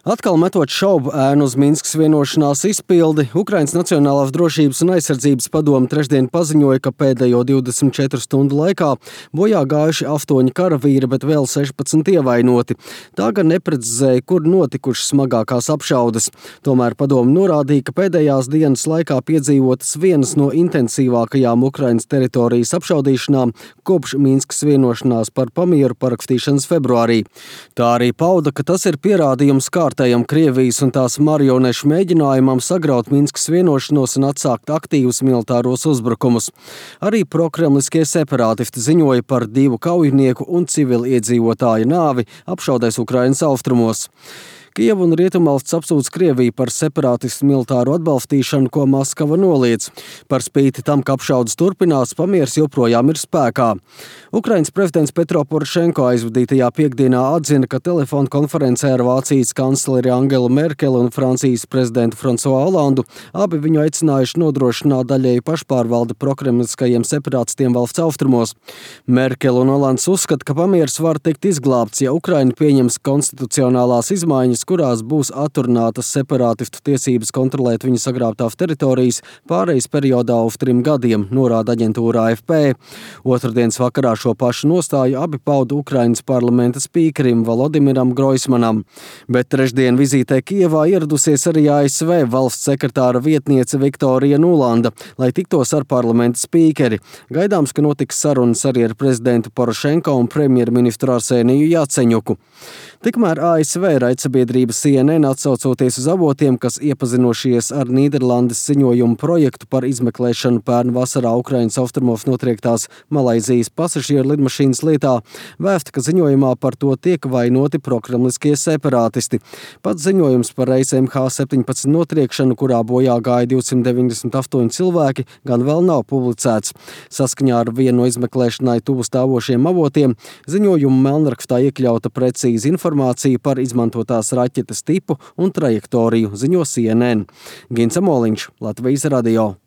Atkal metot šaubu ēnu uz Minskas vienošanās izpildi, Ukrainas Nacionālās drošības un aizsardzības padome trešdien paziņoja, ka pēdējo 24 stundu laikā bojā gājuši 8 karavīri, bet vēl 16 ievainoti. Tā gan neprecizēja, kur notikušas smagākās apšaudes. Tomēr padome norādīja, ka pēdējās dienas laikā piedzīvotas vienas no intensīvākajām Ukrainas teritorijas apšaudīšanām kopš Minskas vienošanās par pamieru parakstīšanas februārī. Tā arī pauda, ka tas ir pierādījums kārtējam Krievijas un tās marionešu mēģinājumam sagraut Minskas vienošanos un atsākt aktīvus militāros uzbrukumus. Arī prokremliskie separātisti ziņoja par 2 kaujinieku un civiliedzīvotāju nāvi apšaudēs Ukrainas austrumos. Kieva un Rietumvalsts apsūdz Krieviju par separātistu militāru atbalstīšanu, ko Maskava noliedz. Par spīti tam, ka apšaudes turpinās, pamiers joprojām ir spēkā. Ukrainas prezidents Petro Porošenko aizvadītajā piekdienā atzina, ka telefona konferencē ar Vācijas kancleri Angelu Merkeli un Francijas prezidentu Fransuā Olandu abi viņu aicinājuši nodrošināt daļēju pašpārvaldi prokremliskajiem separātistiem valsts austrumos. Merkele un Olands uzskata, ka pamiers var tikt izglābts, ja Ukraina pieņems konstitucionālās izmaiņas, kurās būs atrunātas separātistu tiesības kontrolēt viņu sagrābtās teritorijas pārejas periodā uz 3 gadiem, norāda aģentūra AFP. Otrdienas vakarā šo pašu nostāju abi pauda Ukrainas parlamenta spīkerim Volodimiram Groismanam. Bet trešdien vizītē Kievā ieradusies arī ASV valsts sekretāra vietniece Viktorija Nulanda, lai tiktos ar parlamenta spīkeri. Gaidāms, ka notiks sarunas arī ar prezidentu Porošenko un premjerministru Arseniju Jaceņuku. Tikmēr ASV raidsabiedrība CNN atsaucoties uz avotiem, kas iepazinušies ar Nīderlandes ziņojumu projektu par izmeklēšanu pērn vasarā Ukrainas austrumos notriektās Malaizijas pasažieru lidmašīnas lietā, vēsta, ka ziņojumā par to tiek vainoti prokremliskie separātisti. Pats ziņojums par reisu MH17 notriekšanu, kurā bojā gāja 298 cilvēki, gan vēl nav publicēts. Saskaņā ar vienu no izmeklēšanai tuvu stāvošiem avotiem, ziņojuma melnrakstā iekļauta precīza informācija par izmantotās raķetes tipu un trajektoriju, ziņo CNN. Gins Amoliņš, Latvijas radio.